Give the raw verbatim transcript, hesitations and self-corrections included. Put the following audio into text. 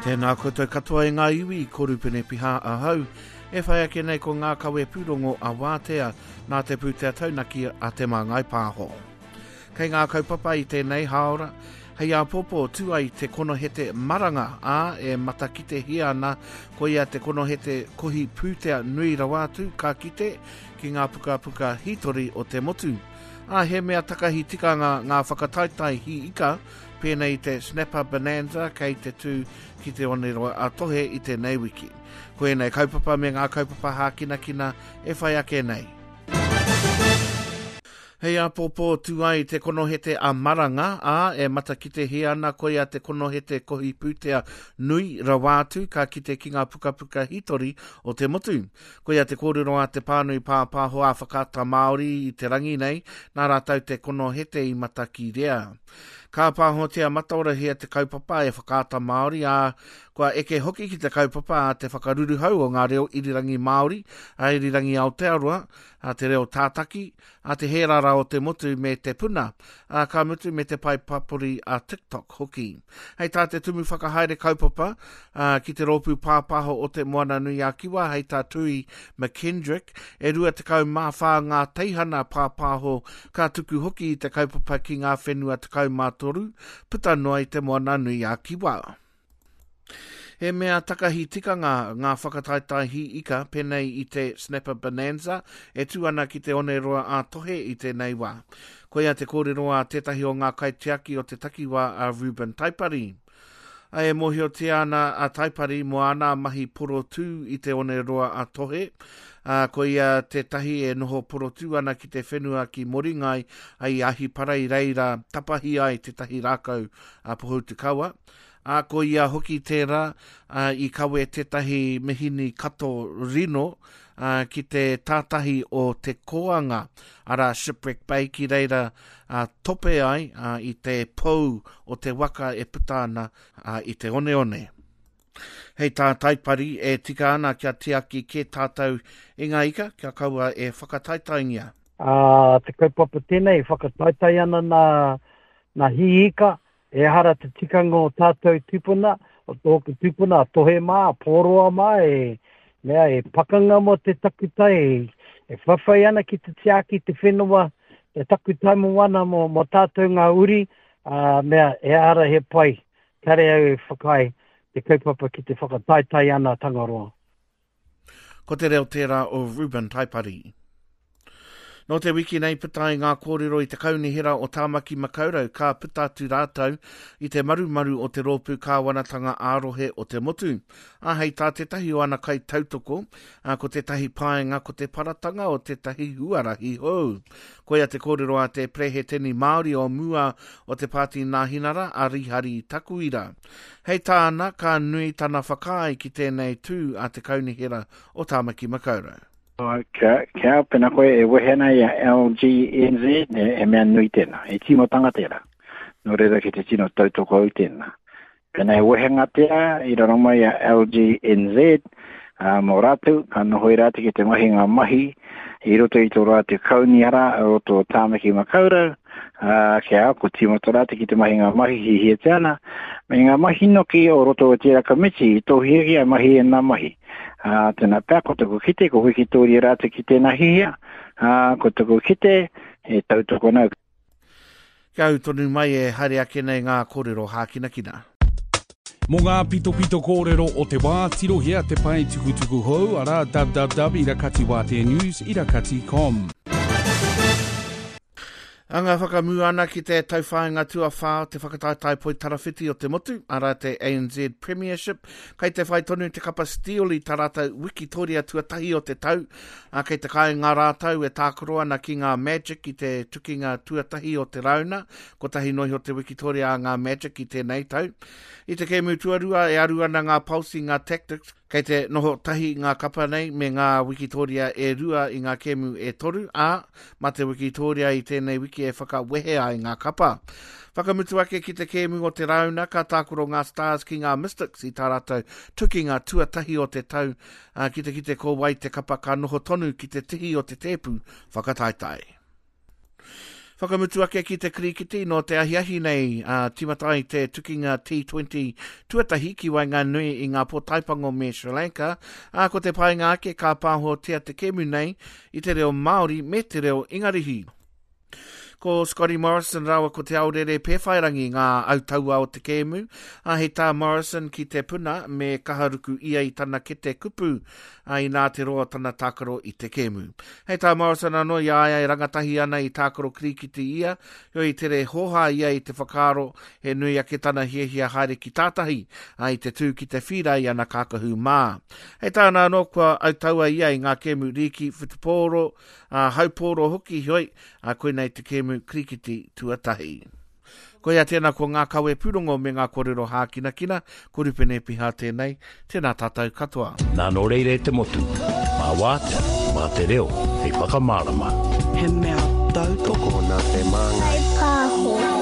Tēnā koutou katoa e ngā iwi, ko Rupene Piha ahau. E whai ake nei ko ngā kawe pūrongo a Wātea, nā te pūtea taunaki a Te Māngai Pāho. Kei ngā kaupapa i tēnei hāora, hei āpōpō tū ai te konohete maranga, ā, e matakitehia ana koia te konohete kohi pūtea nui rawa atu ka kite ki ngā pukapuka hītori o te motu. Ā, he mea takahi tikanga ngā whakataetae hī ika, pēnei i te Snapper Bonanza kei te tū ki te Oneroa a Tohe i tēnei wiki. Ko ēnei kaupapa me ngā kaupapa hākinakina e whai ake nei. Hei āpōpō tū ai te konohete a Maranga, ā, e matakitehia ana koia te konohete kohi pūtea nui rawa atu ka kite ki ngā pukapuka hītori o te motu. Koia te kōrero a te pānui pāpāho a Whakaata Māori i te rangi nei, nā rātou te konohete i matakirea. Ka pāhotia mataorahia te kaupapa e Whakaata Māori, ā, kua eke hoki ki te kaupapa a te whakaruruhau o ngā reo irirangi Māori, a Irirangi Aotearoa, a te reo tātaki, a te hērara o te motu me te puna, a ka mutu me te pae papori a TikTok hoki. Hei tā te tumu whakahaere kaupapa a, ki te rōpū pāpāho o te Moana Nui a Kiwa, hei tā Tui McKendrick, e rua tekau mā whā ngā teihana pāpāho ka tuku hoki i te kaupapa ki ngā whenua tekau mā toru, puta noa i te Moana Nui a Kiwa. He mea takahi tikanga ngā whakataetae hī ika pēnei i te Snapper Bonanza e tū ana ki te Oneroa a Tohe i tēnei wā. Koia te kōrero a tētahi o ngā kaitiaki o te takiwā a Ruben Taipari. E mōhiotia ana a Taipari mō āna mahi porotū i te Oneroa a Tohe. Uh, ko ia tētahi e noho porotū ana ki te whenua ki Moringai i Ahipara i reira tapahi ai tētahi rākau a Pohutukawa. A ko ia hoki tērā uh, i kawe tētahi mihini kato rino uh, ki te tātahi o te koanga, arā Shipwreck Bay ki reira uh, tope ai uh, i te pou o te waka e puta ana uh, i te oneone. Hei tā Taipari e tika ana kia tiaki kē tātou i ngā ika, kia kaua e whakataetaengia. Uh, te kaupapa tēnei, whakataetae ana nā, nā hī ika, ehara te tikanga o tātou tupuna, o tōku tupuna, a Tohe mā, a Pōroa mā, e, mea, e pakanga mō te takutai, e, e whawhai ana ki te tiaki te whenua, te takutai moana mō, mō tātou ngā uri, uh, mea, ehara he pai, kare au e whakaae te kaupapa ki te whakataetae ana Tangaroa. Ko te reo tērā o Ruben Taipari. Nō te wiki nei puta ai ngā kōrero i te kaunihera o Tāmaki Makaurau ka puta atu rātou i te marumaru o te rōpū kāwanatanga ā-rohe o te motu. Ā, hei tā tētahi o ana kai tautoko, ā, ko tētahi paenga ko te paratanga o tētahi huarahi hou. Koia te kōrero a te Preheteni Māori o mua o te Pāti Nāhinara a Rihari Takuira. Hei tāna, ka nui tana whakaae ki tēnei tū a te kaunihera o Tāmaki Makaurau. Kia, kia pena koe e wehe ana i a L G N Z, e, e mea nui tēnā, e tīmatanga tērā. Nō reira ki te tino tautoko au tēnā. Pena e wehenga tērā, i raro mai a L G N Z, uh, mō rātou, ka noho i rātou ki te mahi ngā mahi, i roto i tō rātou kaunihara, i roto o Tāmaki Makaurau, uh, kia ko tīmata rātou ki te mahi ngā mahi hihiatia ana, me ngā mahi noki o roto o tērā kamiti, i tō hiahia mahi e ngā mahi. Uh, tēnā pea, ko taku kite, ko wikitoria rātou ki tēnā hihia, uh, ko taku kite, e tautoko nau. Kia au tonu mai e haere ake nei ngā kōrero hākinakina. Mō ngā pitopito kōrero o te wā, tirohia te pae tukutuku hou, arā www irakati wātea news irakati com. Anga whakamua ana ki te tauwhāinga tuawhā o te whakataetae poitarawhiti o te motu, arā te A N Z Premiership. Kei te whai tonu te kapa Steel i tā rātou wikitoria tuatahi o te tau. Ā, kei te kāinga rātou e tākaro ana ki ngā Magic i te tukinga tuatahi o te rauna. Kotahi nohi o te wikitoria a ngā Magic i tēnei tau. I te kēmu tuarua e aru ana ngā Pulse i ngā Tactix. Kei te noho tahi ngā kapa nei me ngā wikitoria e rua i ngā kēmu e toru, ā, mā te wikitoria i tēnei wiki e whakawehe ai ngā kapa. Whakamutu ake ki te kēmu o te rauna, ka tākaro ngā Stars ki ngā Mystics i tā rātou tukinga tuatahi o te tau, ā, ki te kite ko wai te kapa ka noho tonu ki te tihi o te tēpu whakataetae. Whakamutu ake ki te kirikiti nō te ahiahi nei, a tīmata ai te tukinga T twenty tuatahi ki waenganui i ngā pōtaipango me Sri Lanka, ā, ko te painga ake ka pāhotia te kēmu nei i te reo Māori me te reo Ingarihi. Ko Scotty Morrison rāua ko Te Aorere Pēwhairangi ngā autaua o te kēmu, ā, hei tā Morrison ki te puna me kaharuku ia i tana kete kupu, ā, inā te roa tana tākaro i te kēmu. Hei tā Morrison anō i a ia e rangatahi ana i tākaro kirikiti ia, heoi i tere hōhā ia i te whakaaro he nui ake tana hiahia haere ki tātahi, ā, i te tū ki te whīra i ana kākahu mā. Hei tāna anō kua autaua ia i ngā kēmu rīki whutupōro, ā, haupōro hoki, heoi, ā, koinei te kēmu kirikiti tuatahi. Koia tēnā ko ngā kawe pūrongo me ngā kōrero hākinakina, ko Rupene Piha tēnei, tēnā tātou katoa. Nā nō reira e te motu, mā wātea, mā te reo, hei whakamārama. He mea tautoko nā te māngai. Pāho.